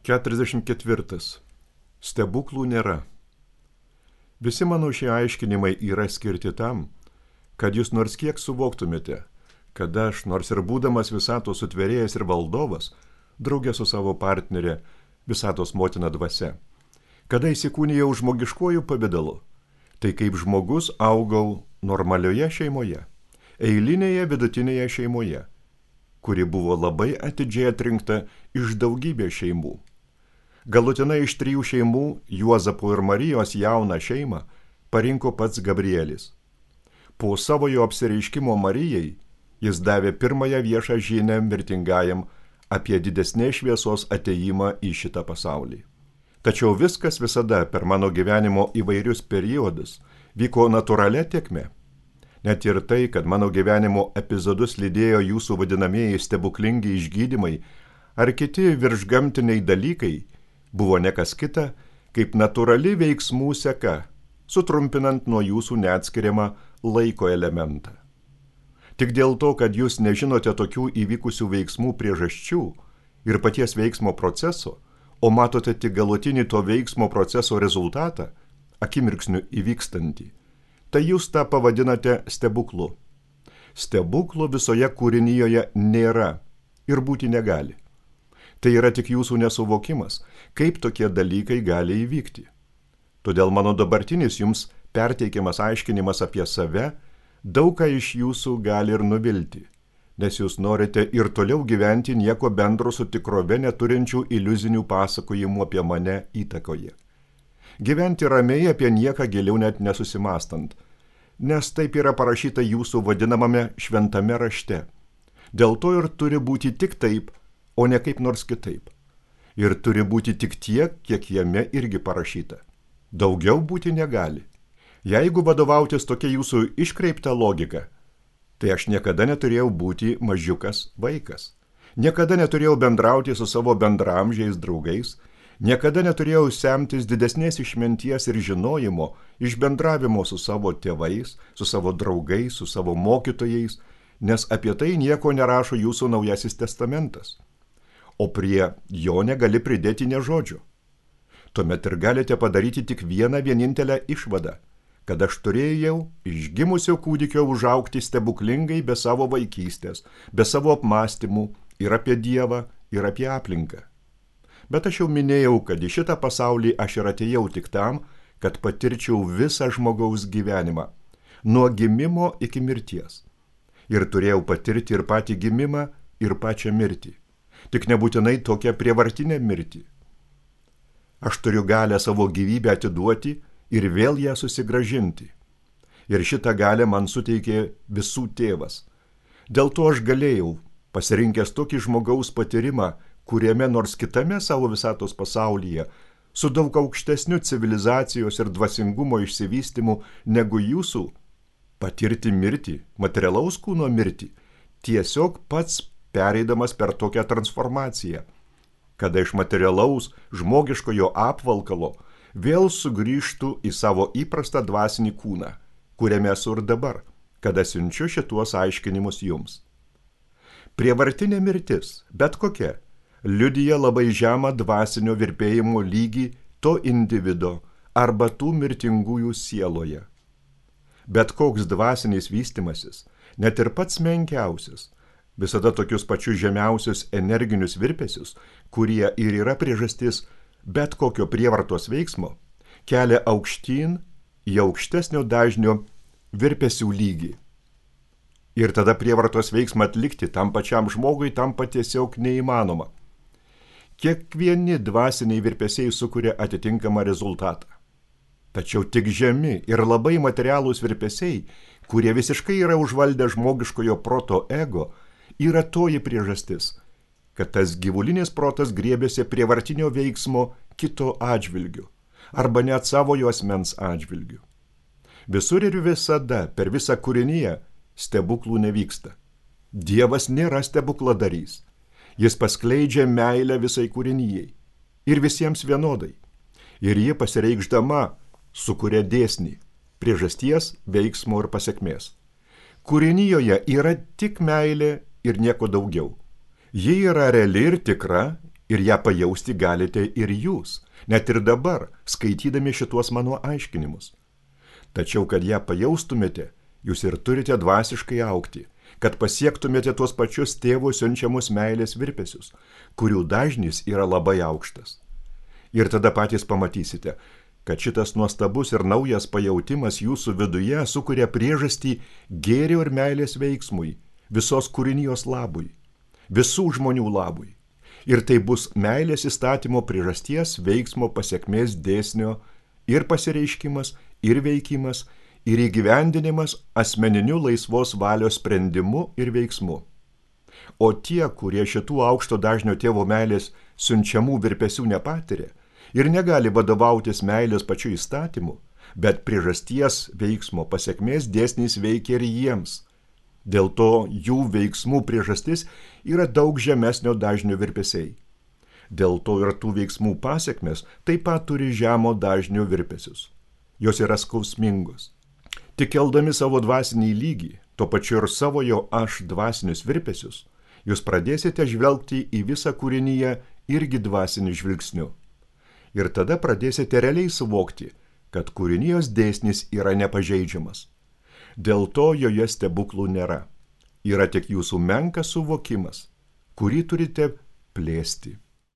44. Stebuklų nėra. Visi mano šie aiškinimai yra skirti tam, kad jūs nors kiek suvoktumėte, kad aš, nors ir būdamas visatos sutvėrėjas ir valdovas, draugė su savo partnerė, visatos motina dvasia, kada įsikūnijau žmogiškuoju pavidalu, tai kaip žmogus augau normalioje šeimoje, eilinėje vidutinėje šeimoje, kuri buvo labai atidžiai atrinkta iš daugybės šeimų. Galutinai iš 3 šeimų Juozapo ir Marijos jauną šeimą parinko pats Gabrielis. Po savojo apsireiškimo Marijai jis davė pirmąją viešą žinią mirtingajam apie didesnės šviesos atėjimą į šitą pasaulį. Tačiau viskas visada per mano gyvenimo įvairius periodus vyko natūralia tėkme. Net ir tai, kad mano gyvenimo epizodus lydėjo jūsų vadinamieji stebuklingi išgydymai ar kiti viršgamtiniai dalykai, buvo nekas kita, kaip natūrali veiksmų seka, sutrumpinant nuo jūsų neatskiriamą laiko elementą. Tik dėl to, kad jūs nežinote tokių įvykusių veiksmų priežasčių ir paties veiksmo proceso, o matote tik galutinį to veiksmo proceso rezultatą, akimirksniu įvykstantį, tai jūs tą pavadinate stebuklu. Stebuklo visoje kūrinyjoje nėra ir būti negali. Tai yra tik jūsų nesuvokimas, kaip tokie dalykai gali įvykti. Todėl mano dabartinis jums perteikiamas aiškinimas apie save daug ką iš jūsų gali ir nuvilti, nes jūs norite ir toliau gyventi nieko bendro su tikrove neturinčių iliuzinių pasakojimų apie mane įtakoje. Gyventi ramiai apie nieką giliau net nesusimastant, nes taip yra parašyta jūsų vadinamame šventame rašte. Dėl to ir turi būti tik taip, o ne kaip nors kitaip. Ir turi būti tik tiek, kiek jame irgi parašyta. Daugiau būti negali. Jeigu vadovautis tokia jūsų iškreipta logika, tai aš niekada neturėjau būti mažiukas vaikas. Niekada neturėjau bendrauti su savo bendramžiais draugais, niekada neturėjau semtis didesnės išminties ir žinojimo iš bendravimo su savo tėvais, su savo draugais, su savo mokytojais, nes apie tai nieko nerašo jūsų Naujasis testamentas. O prie jo negali pridėti nė žodžio. Tuomet ir galite padaryti tik vieną vienintelę išvadą, kad aš turėjau iš gimusio kūdikio užaugti stebuklingai be savo vaikystės, be savo apmąstymų ir apie Dievą, ir apie aplinką. Bet aš jau minėjau, kad į šitą pasaulį aš ir atėjau tik tam, kad patirčiau visą žmogaus gyvenimą, nuo gimimo iki mirties. Ir turėjau patirti ir patį gimimą, ir pačią mirtį. Tik nebūtinai tokią prievartinę mirtį. Aš turiu galę savo gyvybę atiduoti ir vėl ją susigrąžinti. Ir šitą galę man suteikė visų tėvas. Dėl to aš galėjau, pasirinkęs tokį žmogaus patyrimą, kuriame nors kitame savo visatos pasaulyje, su daug aukštesniu civilizacijos ir dvasingumo išsivystymu negu jūsų, patirti mirtį, materialaus kūno mirtį, tiesiog pats pereidamas per tokią transformaciją, kada iš materialaus žmogiškojo apvalkalo vėl sugrįžtų į savo įprastą dvasinį kūną, kuriame esu ir dabar, kada siunčiu šituos aiškinimus jums. Prievartinė mirtis, bet kokia, liudija labai žemą dvasinio virpėjimo lygį to individo arba tų mirtingųjų sieloje. Bet koks dvasinis vystimasis, net ir pats menkiausias, visada tokius pačius žemiausius energinius virpesius, kurie ir yra priežastis bet kokio prievartos veiksmo, kelia aukštyn į aukštesnio dažnio virpesių lygį. Ir tada prievartos veiksmą atlikti tam pačiam žmogui tampa tiesiog neįmanoma. Kiekvieni dvasiniai virpesiai sukuria atitinkamą rezultatą. Tačiau tik žemi ir labai materialūs virpesiai, kurie visiškai yra užvaldę žmogiškojo proto ego, yra toji priežastis, kad tas gyvulinis protas griebėsi prievartinio veiksmo kito atžvilgiu, arba net savojo asmens atžvilgiu. Visur ir visada, per visą kūriniją, stebuklų nevyksta. Dievas nėra stebukladarys. Jis paskleidžia meilę visai kūrinijai ir visiems vienodai. Ir ji pasireikšdama sukuria dėsnį, priežasties, veiksmo ir pasekmės. Kūrinijoje yra tik meilė ir nieko daugiau. Ji yra reali ir tikra Ir ją pajausti galite ir jūs, net ir dabar, skaitydami šituos mano aiškinimus. Tačiau, kad ją pajaustumėte, jūs ir turite dvasiškai augti, kad pasiektumėte tuos pačius tėvo siunčiamus meilės virpesius, kurių dažnis yra labai aukštas. Ir tada patys pamatysite, kad šitas nuostabus ir naujas pajautimas jūsų viduje sukuria priežastį gėrio ir meilės veiksmui, visos kūrinijos labui, visų žmonių labui. Ir tai bus meilės įstatymo priežasties veiksmo pasekmės dėsnio ir pasireiškimas, ir veikimas, ir įgyvendinimas asmeniniu laisvos valios sprendimu ir veiksmu. O tie, kurie šitų aukšto dažnio tėvo meilės siunčiamų virpesių nepatiria ir negali vadovautis meilės pačiu įstatymu, bet priežasties veiksmo pasekmės dėsnis veikia ir jiems. Dėl to jų veiksmų priežastis yra daug žemesnio dažnio virpesiai. Dėl to ir tų veiksmų pasekmės taip pat turi žemo dažnio virpesius. Jos yra skausmingos. Tik keldami savo dvasinį lygį, tuo pačiu ir savo jo aš dvasinius virpesius, jūs pradėsite žvelgti į visą kūrinyje irgi dvasiniu žvilgsniu. Ir tada pradėsite realiai suvokti, kad kūrinijos dėsnis yra nepažeidžiamas. Dėl to joje stebuklų nėra. Yra tik jūsų menkas suvokimas, kurį turite plėsti.